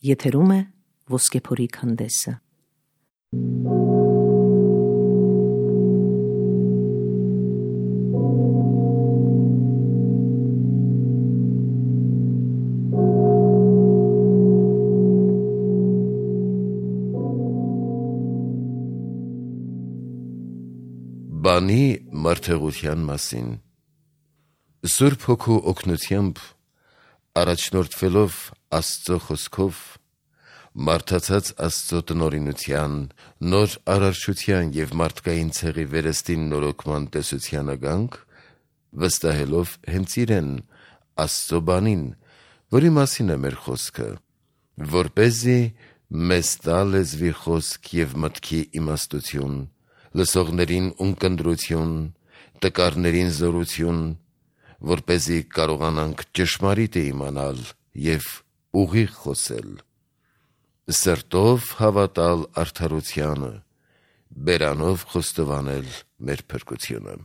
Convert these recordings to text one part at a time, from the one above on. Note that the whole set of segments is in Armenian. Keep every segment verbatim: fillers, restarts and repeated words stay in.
Եթերում է Ոսկեփորի քանդեսը։ Բանի մարդեղության մասին Սուրբ Հոգու օգնությամբ առաջնորդվելով Աստծո խոսքով մարդացած Աստծո տնօրինության, նոր արարչության և մարդկային ցեղի վերստին նորոգման տեսությանը գանք, վստահելով հենց իրեն, Աստծո բանին, որի մասին է մեր խոսքը, որպեսզի մեզ տա լեզվի խոսք և մտքի իմաստություն, լսողներին ունկնդրություն, տկարներին զորություն, որպեսզի կարողանանք ճշմարիտը իմանալ և ուղիղ խոսել, սրտով հավատալ արդարությանը, բերանով խոստովանել մեր փրկությունը։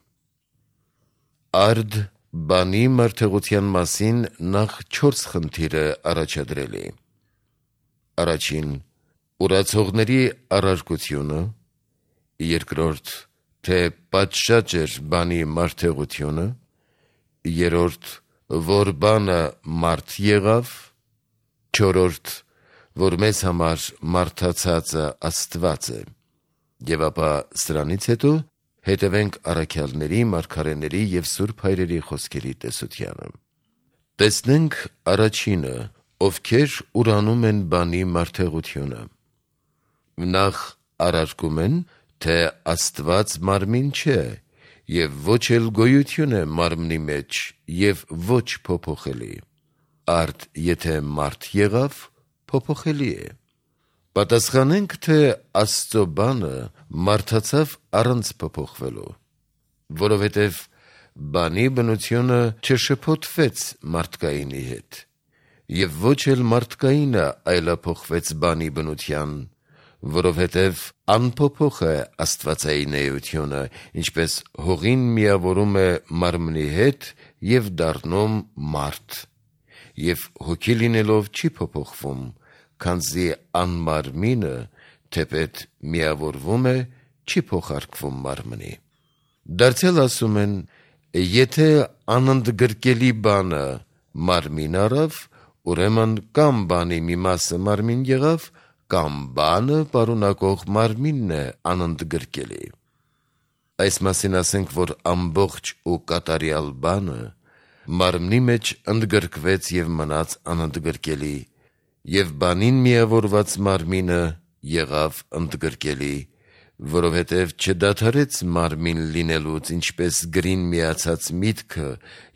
Արդ բանի մարդեղության մասին նախ չորս խնդիր է առաջադրել է. Առաջին՝ ուրացողների առարկությունը, երկրորդ՝ թե պատշաճ էր բանի մարդեղությունը, երրորդ՝ որ բանը մարդ եղավ, չորրորդ՝ որ մեզ համար մարդացածը Աստված է, և ապա սրանից հետո հետևենք առաքյալների, մարգարեների և սուրբ հայրերի խոսքերի տեսությանը։ Տեսնենք առաջինը, ովքեր ուրանում են բանի մարդեղությունը։ Նախ առարկում են, թե Աստված մարմին չէ և ոչ էլ գոյություն է մարմնի մեջ և ոչ փոփոխելի, արդ եթե մարդ եղավ, փոփոխելի է։ Պատասխանենք, թե Աստծո բանը մարդացավ առանց փոփոխվելու, որովհետև բանի բնությունը չշփոթվեց մարդկայինի հետ, և ոչ էլ մարդկայինը այլափոխվեց բանի բնության, որովհետև անփոփոխ է աստվածային էությունը, ինչպես հողին միավորում է մարմնի հետ և դառնում մարդ, և հոգի լինելով չի փոփոխվում, քանզի անմարմինը, թեպետ միավորվում է, չի փոխարկվում մարմնի։ Դարձյալ ասում են, եթե անընդգրկելի բանը մարմին առավ, ուրեմն կամ բանի մի մասը մարմին եղավ, կամ բանը պարունակող մարմինն է անընդգրկելի։ Այս մասին ասենք, որ ամբողջ ու կատարյալ բանը մարմնի մեջ ընդգրկվեց և մնաց անընդգրկելի, և բանին միավորված մարմինը եղավ ընդգրկելի, որովհետև չդադարեց մարմին լինելուց, ինչպես գրին միացած միտքը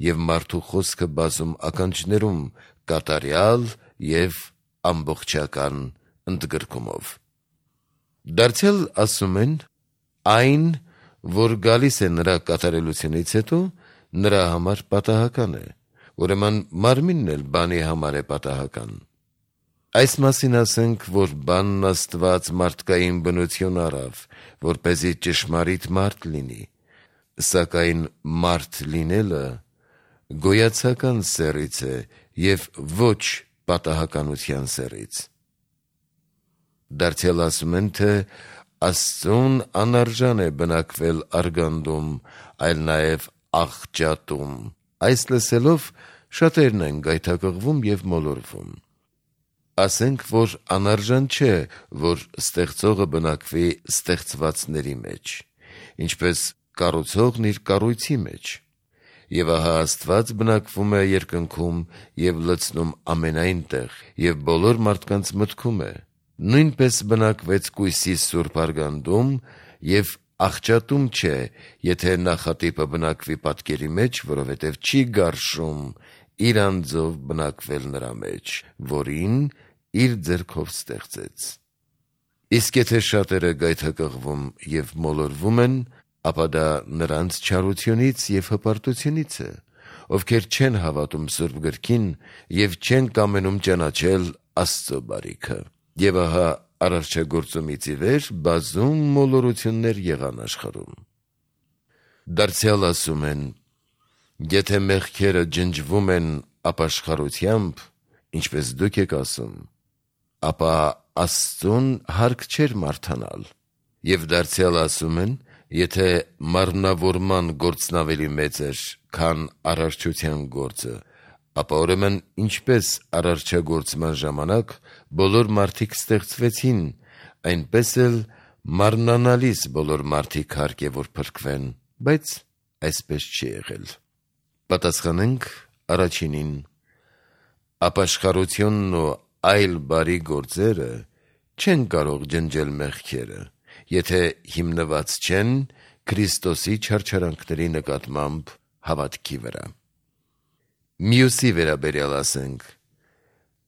և մարդու խոսքը բազում ականջներում կատարյալ և ամբողջական ընդգրկումով։ Դարձյալ ասում են, այն, որ գալիս է նրա կատարելությունից հետո, նրա համար պատահական է, ուրեմն մարմինն էլ բանի համար է պատահական։ Այս մասին ասենք, որ բանն Աստված մարդկային բնություն առավ, որպեսզի ճշմարիտ մարդ լինի, սակայն մարդ լինելը գոյացական սեռից է և ոչ պատահականության սեռից։ Դարձյալ ասում են, թե Աստծուն անարժան է բնակվել արգանդում, այլ նաև աղճատում։ Այս լսելով շատերն են գայթակղվում և մոլորվում։ Ասենք, որ անարժան չէ, որ ստեղծողը բնակվի ստեղծվածների մեջ, ինչպես կառուցողն իր կառույցի մեջ, և ահա Աստված բնակվում է երկնքում և լցնում ամենայն տեղ և բոլոր մարդկանց մտքում է, նույնպես բնակվեց կույսի սուրբ արգանդում և աղճատում չէ, եթե նախատիպը բնակվի պատկերի մեջ, որովհետև չի գարշում իր անձով բնակվել նրա մեջ, որին իր ձեռքով ստեղծեց։ Իսկ եթե շատերը գայթակղվում և մոլորվում են, ապա դա նրանց չարությունից և հպարտությունից է, ովքեր չեն հավատում Սուրբ Գրքին և չեն կամենում ճանաչել Աստծո բարիքը։ Եվ ահա արարչագործումից ի վեր բազում մոլորություններ եղան աշխարհում։ Դարձյալ ասում են, եթե մեղքերը ջնջվում են ապաշխարությամբ, ինչպես դուք եք ասում, ապա Աստծուն հարկ չէր մարդանալ։ Եվ դարձյալ ասում են, եթե մարմնավորման գործն ավելի մեծ էր, քան արարչության գործը, ապա ուրեմն ինչպես արարչագործման ժամանակ բոլոր մարդիկ ստեղծվեցին, այնպես էլ մարմնանալիս բոլոր մարդիկ հարկ է որ փրկվեն, բայց այսպես չի եղել։ Պատասխանենք առաջինին. ապաշխարությունն ու այլ բարի գործերը չեն կարող ջնջել մեղքերը, եթե հիմնված չեն Քրիստոսի չարչարանքների նկատմամբ հավատքի վրա։ Մյուսի վերաբերյալ ասենք.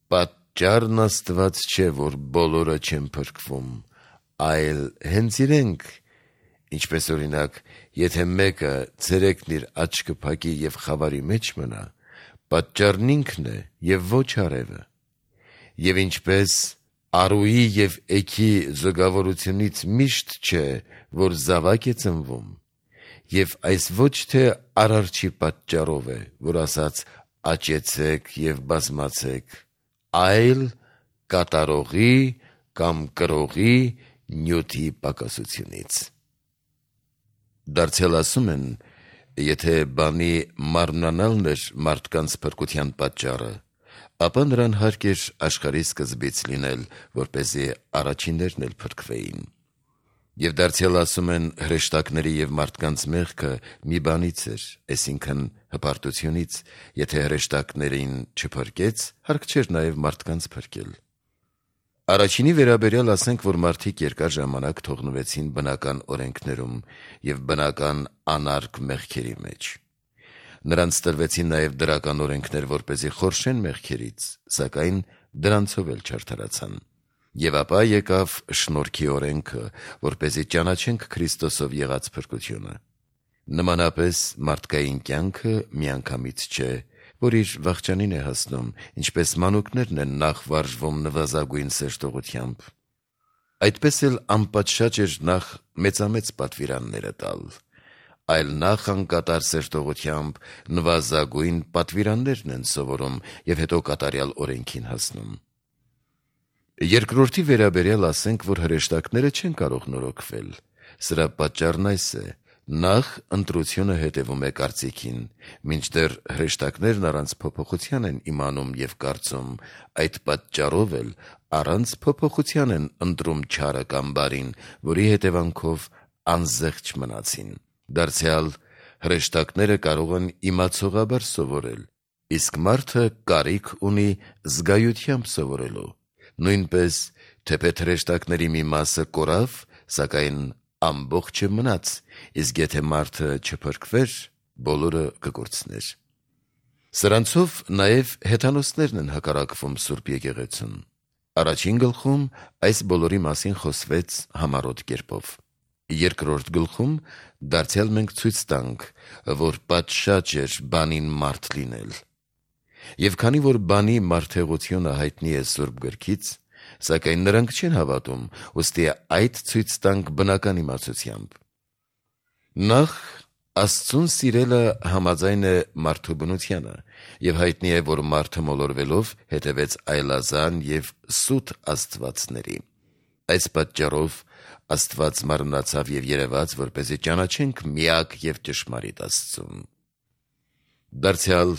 պատճառն Աստված չէ, որ բոլորը չեն փրկվում, այլ հենց իրենք, ինչպես օրինակ, եթե մեկը ցերեկն իր աչքը փակի եւ խավարի մեջ մնա, պատճառն ինքն է եւ ոչ արևը։ Եվ ինչպես արուի եւ էքի զուգավորությունից միշտ չէ, որ զավակ է ծնվում, եւ այս ոչ թե արարչի պատճառով է, որ ասաց աճեցեք եւ բազմացեք, այլ կատարողի կամ կրողի նյութի պակասությունից։ Դարձյալ ասում են, եթե բանի մարմնանալն էր մարդկանց փրկության պատճառը, ապա նրան հարկ էր աշխարհի սկզբից լինել, որպեսզի առաջիններն էլ փրկվեին։ Եվ դարձյալ ասում են, հրեշտակների եւ մարդկանց մեղքը մի բանից էր, այսինքն հպարտությունից, եթե հրեշտակներին չփրկեց, հարկ չէր նաեւ մարդկանց փրկել։ Առաջինի վերաբերյալ ասենք, որ մարդիկ երկար ժամանակ թողնվեցին բնական օրենքներում եւ բնական անարգ մեղքերի մեջ։ Նրանց տրվեցին նաեւ դրական օրենքներ, որպեսզի խորշեն մեղքերից, սակայն դրանցով էլ չարդարացան։ Եվ ապա եկավ շնորհքի օրենքը, որպեսզի ճանաչենք Քրիստոսով եղած փրկությունը։ Նմանապես մարդկային կյանքը միանգամից չէ, որ իր վախճանին է հասնում, ինչպես մանուկներն են նախ վարժվում նվազագույն սերտողությամբ։ Այդպես էլ անպատշաճ էր նախ մեծամեծ պատվիրանները տալ, այլ նախ անկատար սերտողությամբ նվազագույն պատվիրաններն են սովորում եւ հետո կատարյալ օրենքին հասնում։ Երկրորդի վերաբերյալ ասենք, որ հրեշտակները չեն կարող նորոգվել։ Սրա պատճառն այս է. նախ ընտրությունը հետևում է կարծիքին, մինչդեռ հրեշտակներն առանց փոփոխության են իմանում եւ կարծում, այդ պատճառով էլ առանց փոփոխության են ընտրում չարը կամ բարին, որի հետևանքով անզեղչ մնացին։ Դարձյալ հրեշտակները կարող են իմացողաբար սովորել, իսկ մարդը կարիք ունի զգայությամբ սովորելու։ Նույնպես, թեպետ հրեշտակների մի մասը կորավ, սակայն ամբողջը մնաց, իսկ եթե մարդը չփրկվեր, բոլորը կկորցներ։ Սրանցով նաև հեթանոսներն են հակառակվում Սուրբ եկեղեցուն։ Առաջին գլխում այս բոլորի մասին խոսվեց համառոտ կերպով։ Երկրորդ գլխում դարձյալ մենք ցույց տանք, որ պատշաճ էր բանին մարդ լինել։ Եվ քանի որ բանի մարդեղությունը հայտնի է Սուրբ գրքից, սակայն նրանք չեն հավատում, ուստի այդ ցույց տանք բնական իմացությամբ։ Նախ Աստծուն սիրելը համաձայն է մարդու բնությանը, եւ հայտնի է, որ մարդը մոլորվելով հետևեց այլազան եւ սուտ աստվածների։ Այս պատճառով Աստված մարմնացավ եւ երևաց, որպեսզի ճանաչենք միակ եւ ճշմարիտ Աստծուն։ Դարձյալ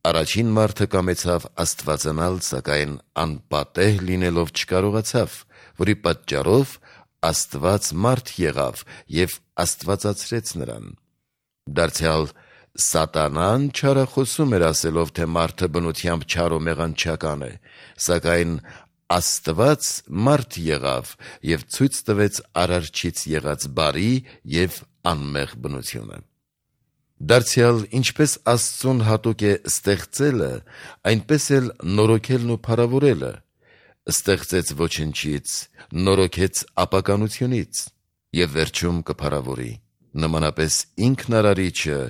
առաջին մարդը կամեցավ աստվածանալ, սակայն անպատեհ լինելով չկարողացավ, որի պատճառով Աստված մարդ եղավ եւ աստվածացրեց նրան։ Դարձյալ Սատանան չարախոսում էր ասելով, թե մարդը բնությամբ չար ու մեղանչական է, սակայն Աստված մարդ եղավ եւ ցույց տվեց արարչից եղած բարի եւ անմեղ բնությունը։ Դարձյալ ինչպես Աստծուն հատուկ է ստեղծելը, այնպես էլ նորոգելն ու փառավորելը։ Ստեղծեց ոչնչից, նորոգեց ապականությունից եւ վերջում կփառավորի։ Նմանապես ինքն արարիչը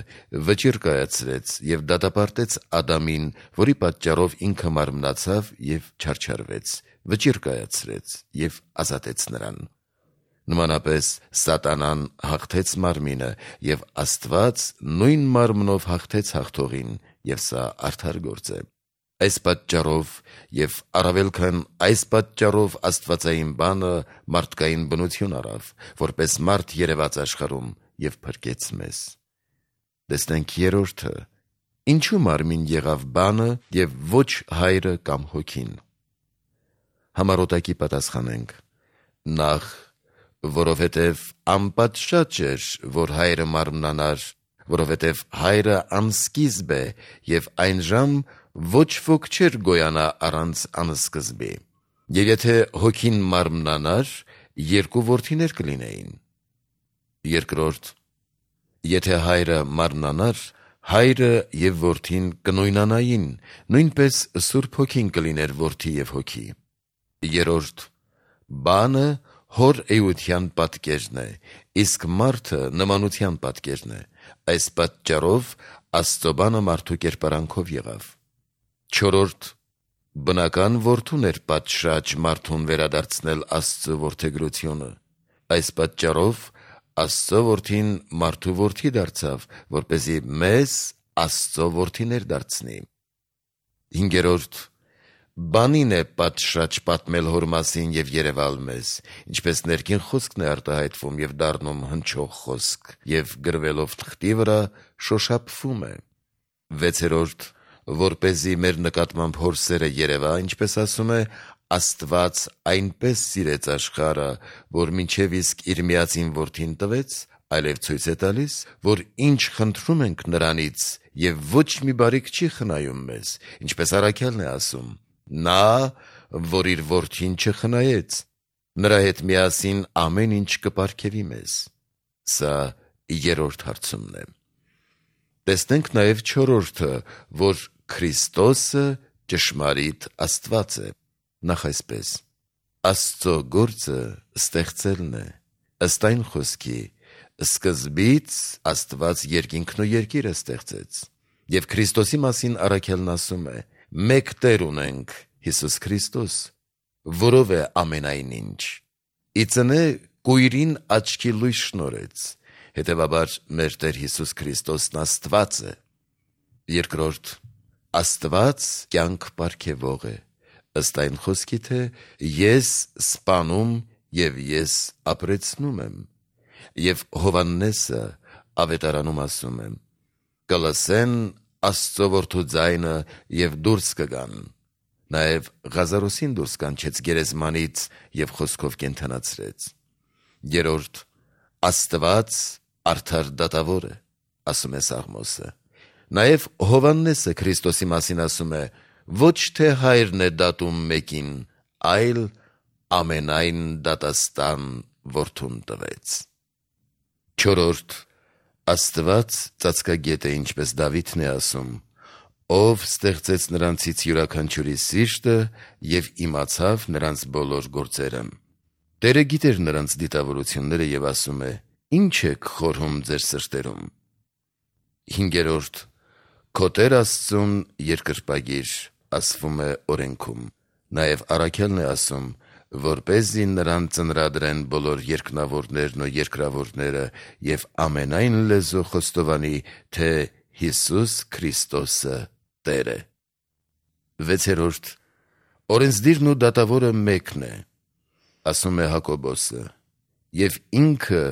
վճիռ կայացրեց եւ դատապարտեց Ադամին, որի պատճառով ինքը մարմնացավ եւ չարչարվեց, վճիռ կայացրեց եւ ազատեց նրան։ Նմանապես Սատանան հաղթեց մարմինը եւ Աստված նույն մարմնով հաղթեց հաղթողին, եւ սա արդար գործ է։ Այս պատճառով եւ առավել քան այս պատճառով Աստվածային բանը մարդկային բնություն առավ, որպես մարդ երևաց աշխարհում եւ փրկեց մեզ։ Տեսնենք երրորդը. ինչու մարմին եղավ բանը եւ ոչ հայրը կամ հոգին։ Համառոտակի պատասխանենք. նախ, որովհետեւ անպատշաճ էր, որ հայրը մարմնանար, որովհետեւ հայրը անսկիզբ է եւ այն ժամ ոչ ոք չէր գոյանա առանց անսկզբի։ Եվ եթե հոգին մարմնանար, երկու որդիներ կլինեին։ Երկրորդ, եթե հայրը մարմնանար, հայրը եւ որդին կնույնանային, նույնպես Սուրբ Հոգին կլիներ որդի եւ հոգի։ Երրորդ, բանը հոր էության պատկերն է, իսկ մարդը նմանության պատկերն է։ Այս պատճառով Աստծո բանը մարդու կերպարանքով եղավ։ Չորրորդ, բնական որդուն էր պատշաճ մարդուն վերադարձնել Աստծո որդեգրությունը։ Այս պատճառով Աստծո որդին մարդու որդի դարձավ, որպեսզի մեզ Աստծո որդիներ դարձնի։ Հինգերորդ, բանին է պատշաճ պատմել հոր մասին եւ երևալ մեզ, ինչպես ներքին խոսքն է արտահայտվում եւ դառնում հնչող խոսք, եւ գրվելով թղթի վրա շոշափվում է։ Վեցերորդ, որպեսզի մեր նկատմամբ հոր սերը երևա, ինչպես ասում է, Աստված այնպես սիրեց աշխարհը, որ մինչև իսկ իր միածին որդին տվեց, այլև ցույց է տալիս, որ ինչ խնդրում ենք նրանից, եւ ոչ մի բարիք չի խնայում մեզ, ինչպես առաքյալն է ասում. նա, որ իր որդին չխնայեց, նրա հետ միասին ամեն ինչ կպարգևի մեզ։ Սա երրորդ հարցումն է։ Տեսնենք նաև չորրորդը, որ Քրիստոսը ճշմարիտ Աստված է։ Նախ այսպես. Աստծո գործը ստեղծելն է, ըստ այն խոսքի, սկզբից Աստված երկինքն ու երկիրը ստեղծեց։ Եվ Քրիստոսի մասին առաքյալն ասում է. մեկ Տեր ունենք, Հիսուս Քրիստոս, որով է ամենայն ինչ։ Իծնե կույրին աչքի լույս շնորեց, հետևաբար մեր Տեր Հիսուս Քրիստոսն Աստված է։ Երկրորդ, Աստված կյանք պարգևող է, ըստ այն խոսքի, թե ես սպանում եւ ես ապրեցնում եմ։ Եվ Հովհաննեսը ավետարանում ասում է. կլսեն Աստծո որդու ձայնը եւ դուրս կգան։ Նաեւ Ղազարոսին դուրս կանչեց գերեզմանից եւ խոսքով կենթանացրեց։ Երրորդ, Աստված արդար դատավոր է, ասում է Սաղմոսը։ Նաեւ Հովհաննեսը Քրիստոսի մասին ասում է. ոչ թե հայրն է դատում մեկին, այլ ամենայն դատաստան որդուն տվեց։ Չորրորդ, Աստված ծածկագետ է, ինչպես Դավիթն է ասում, ով ստեղծեց նրանցից յուրաքանչյուրի սիրտը եւ իմացավ նրանց բոլոր գործերը։ Տերը գիտեր նրանց դիտավորությունները եւ ասում է. ինչ եք խորհում ձեր սրտերում։ Հինգերորդ, քո Տեր Աստծուն երկրպագիր, ասվում է օրենքում։ Նաեւ առաքյալն է ասում, որպեսզի նրան ծնրադրեն բոլոր երկնավորներն ու երկրավորները եւ ամենայն լեզու խոստովանի, թե Հիսուս Քրիստոսը Տեր է։ Վեցերորդ, օրենսդիրն ու դատավորը մեկն է, ասում է Հակոբոսը, եւ ինքը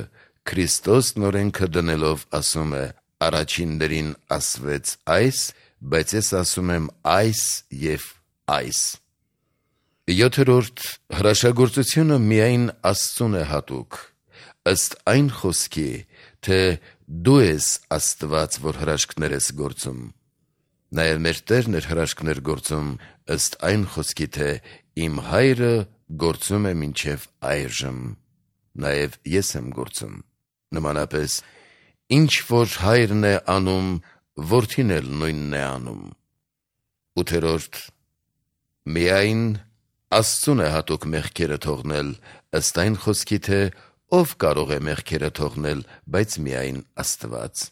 Քրիստոսն օրենքը դնելով ասում է. առաջիններին ասվեց այս, բայց ես ասում եմ այս եւ այս։ Յոթերորդ, հրաշագործությունը միայն Աստծուն է հատուկ, ըստ այն խոսքի, թե դու ես Աստված, որ հրաշքներ ես գործում։ Նաև մեր Տերն էր հրաշքներ գործում, ըստ այն խոսքի, թե իմ հայրը գործում է մինչև այժմ, նաև ես եմ գործում։ Նմանապես, ինչ որ հայրն է անում, որդին էլ նույնն է անում։ Ութերորդ, միայն Աստծուն է հատուկ մեղքերը թողնել, ըստ այն խոսքի, թե ով կարող է մեղքերը թողնել, բայց միայն Աստված։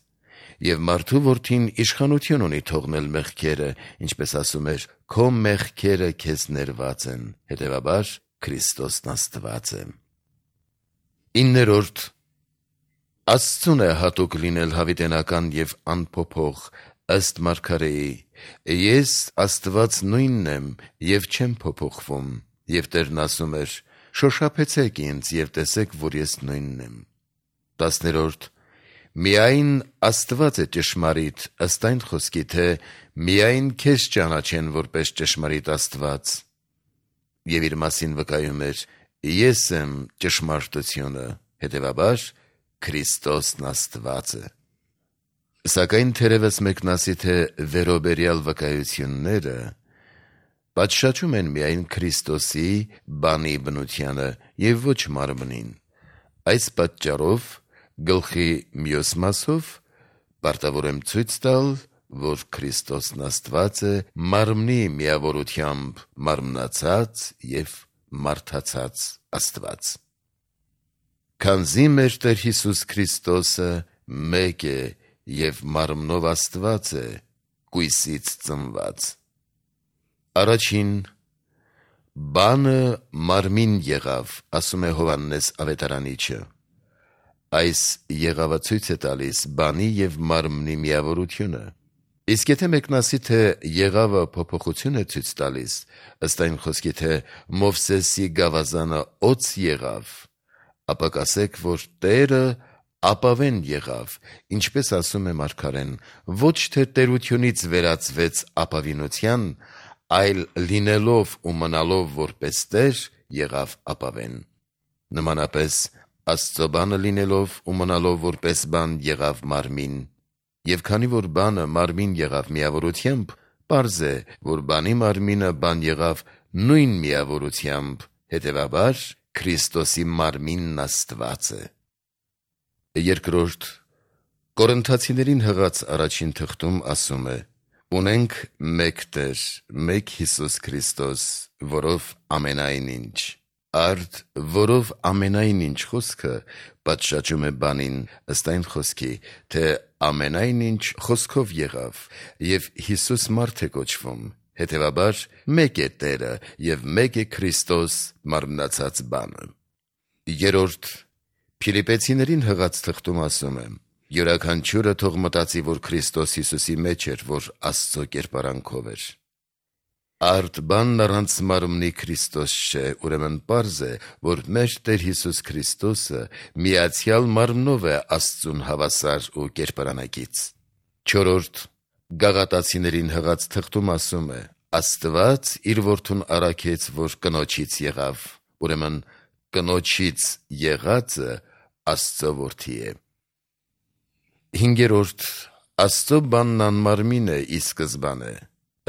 Եվ մարդու որդին իշխանություն ունի թողնել մեղքերը, ինչպես ասում էր, քո մեղքերը քեզ ներված են, հետևաբար Քրիստոսն Աստված է։ Իններորդ, Աստծուն է հատուկ լինել հավիտենական եւ անփոփոխ, ըստ մարգարեի, Ես Աստված նույնն եմ և չեմ փոփոխվում, և Տերն ասում էր. շոշափեցեք ինձ և տեսեք, որ ես նույնն եմ։ տասներորդ. Միայն Աստված է ճշմարիտ ըստ այն խոսքի, թե միայն քեզ ճանաչեն որպես ճշմարիտ Աստված, և իր մասին վկայում էր. ես եմ ճշմարտությունը, հետևաբար Քրիստոսն Աստվածը։ Սակայն թերևս մեկն ասի, թե վերոբերյալ վկայությունները պատշաճում են միայն Քրիստոսի բանի բնությանը և ոչ մարմնին։ Այս պատճառով գլխի մյուս մասով պարտավոր եմ ցույց տալ, որ Քրիստոսն Աստված է մարմնի միավորությամբ մարմնացած և մարդացած Աստված։ Քանզի մեր Տեր Հիսուս Քրիստոսը մեկ է և մարմնով Աստված է, կույսից ծնված։ Առաջին բանը մարմին եղավ, ասում է Հովհաննես Ավետարանիչը։ Այս եղավը ցույց է տալիս բանի և մարմնի միավորությունը։ Իսկ եթե մեկն ասի, թե եղավը փոփոխություն է ցույց տալիս, ըստ այն խոսքի, թե Մովսեսի գավազանը օձ եղավ, ապա կասեք, որ Տերը ապավեն եղավ, ինչպես ասում է մարգարեն, ոչ թե տերությունից վերածվեց ապավինության, այլ լինելով ու մնալով որպես Տեր եղավ ապավեն։ Նմանապես Աստծո բանը լինելով ու մնալով որպես բան եղավ մարմին, և քանի որ բանը մարմին եղավ միավորությամբ, պարզ է, որ բանի մարմինը բան եղավ նույն միավորությամբ, հետևաբար Քրիստոսի մարմինն Աստված է։ Երկրորդ Կորինթացիներին հղած առաջին թղթում ասում է. «Ունենք մեկ Տեր, մեկ Հիսուս Քրիստոս, որով ամենայն ինչ»։ Արդ որով ամենայն ինչ խոսքը պատշաճում է բանին, ըստ այն խոսքի, թե ամենայն ինչ խոսքով եղավ, և Հիսուս մարդ է կոչվում, հետևաբար մեկ է Տերը և մեկ է Քրիստոս մարմնացած բանը։ Երորդ Փիլիպպեցիներին հղած թղթում ասում է. «Յուրաքանչյուրը թող մտածի, որ Քրիստոս Հիսուսի մեջ էր, որ Աստծո կերպարանքով էր»։ Արդ բանն առանց մարմնի Քրիստոս չէ, ուրեմն պարզ է, որ մեր Տեր Հիսուս Քրիստոսը միացյալ մարմնով է Աստծուն հավասար ու կերպարանակից։ Չորրորդ Գաղատացիներին հղած թղթում ասում է. «Աստված իր որդուն առաքեց, որ կնոջից եղավ, ուրեմն կնոջից եղածը Աստծո որդի է»։ Հինգերորդ Աստծո բանն անմարմին է ի սկզբանե,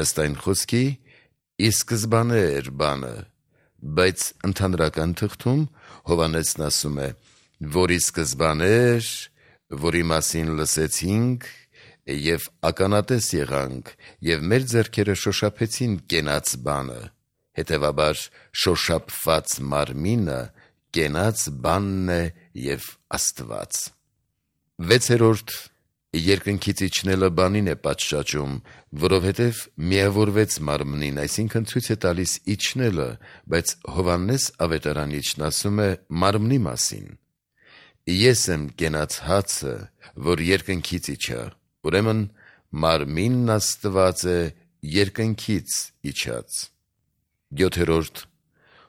ըստ այն խոսքի, ի սկզբանե էր բանը, բայց ընդհանրական թղթում Հովհաննեսն ասում է, որ ի սկզբանե էր, որի մասին լսեցինք և ականատես եղանք, և մեր ձեռքերը շոշափեցին կենաց բանը, հետևաբար շոշափված մարմինը կենաց բանն է և Աստված։ Վեցերորդ Երկնքից իջնելը բանին է պատշաճում, որովհետև միավորվեց մարմնին, այսինքն ցույց է տալիս իջնելը, բայց Հովհաննես Ավետարանիչն ասում է մարմնի մասին. «Ես եմ կենաց հացը, որ երկնքից իջա», ուրեմն մարմինն Աստված է երկնքից իջած։ Յոթերորդ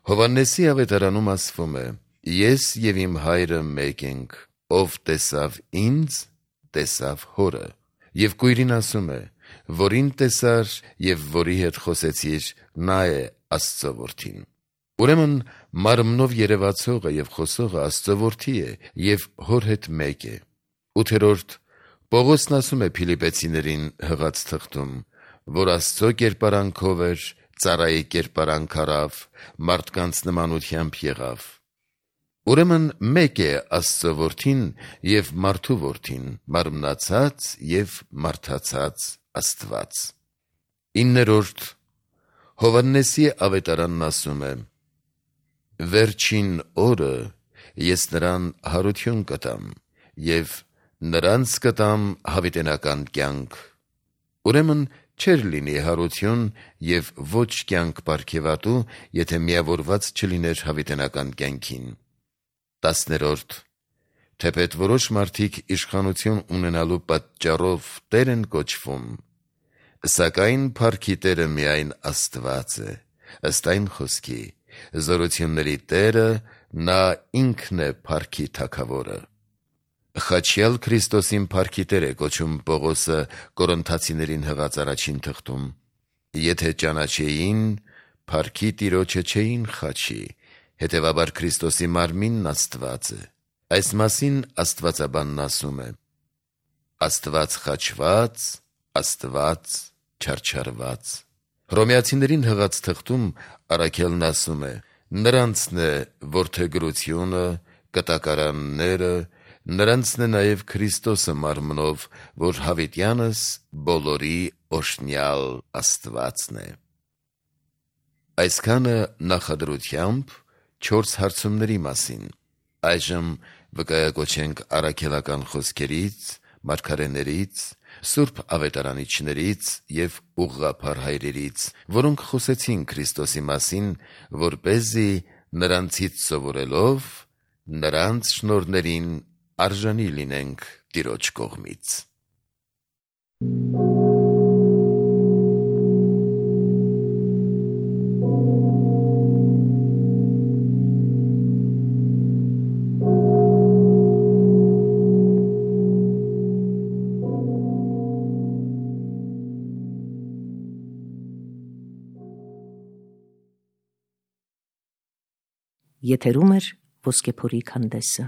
Հովհաննեսի Ավետարանում ասվում է. «Ես և իմ Հայրը մեկ ենք, ով տեսավ ինձ, տեսավ Հորը»։ Եվ կույրին ասում է. «Որին տեսար և որի հետ խոսեցիր, նա է Աստծո որդին»։ Ուրեմն մարմնով երևացողը և խոսողը Աստծո որդի է և Հոր հետ մեկ է։ Ութերորդ Պողոսն ասում է Փիլիպպեցիներին հղած թղթում, որ Աստծո կերպարանքով էր, ծառայի կերպարանք առավ, մարդկանց նմանությամբ եղավ։ Ուրեմն մեկ է Աստծո որդին և մարդու որդին, մարմնացած և մարդացած Աստված։ Իններորդ Հովհաննեսի Ավետարանն ասում է. «Վերջին օրը ես նրան հարություն կտամ և նրանց կտամ հավիտենական կյանք»։ Ուրեմն չէր լինի հարություն և ոչ կյանք պարգևատու, եթե միավորված չլիներ հավիտենական կյանքին։ Տասներորդ Թեպետ որոշ մարդիկ իշխանություն ունենալու պատճառով Տեր են կոչվում, Սակայն փառքի Տերը միայն Աստված է, ըստ այն խոսքի. զորությունների Տերը նա ինքն է փառքի թագավորը։ Խաչյալ Քրիստոսին փառքի Տեր է կոչում Պողոսը Կորինթացիներին հղած առաջին թղթում. եթե ճանաչեին, փառքի Տիրոջը չէին խաչի, հետևաբար Քրիստոսի մարմինն Աստված է։ Այս մասին աստվածաբանն ասում է. Աստված խաչված, Աստված չարչարված։ Հռոմեացիներին հղած թղթում առաքյալն ասում է. նրանցն է որդեգրությունը, կտակարանները, նրանցն է նաև Քրիստոսը մարմնով, որ հավիտյանս բոլորի օրհնյալ Աստվածն է։ Այսքանը նախադրությամբ չորս հարցումների մասին։ Այժմ վկայակոչենք առաքելական խոսքերից, մարգարեներից, սուրբ ավետարանիչներից և ուղղափառ հայրերից, որոնք խոսեցին Քրիստոսի մասին, որպեսզի նրանցից սովորելով նրանց շնորհներին արժանի լինենք Տիրոջ կողմից։ Եթերում է Ոսկեփորի քանդեսը։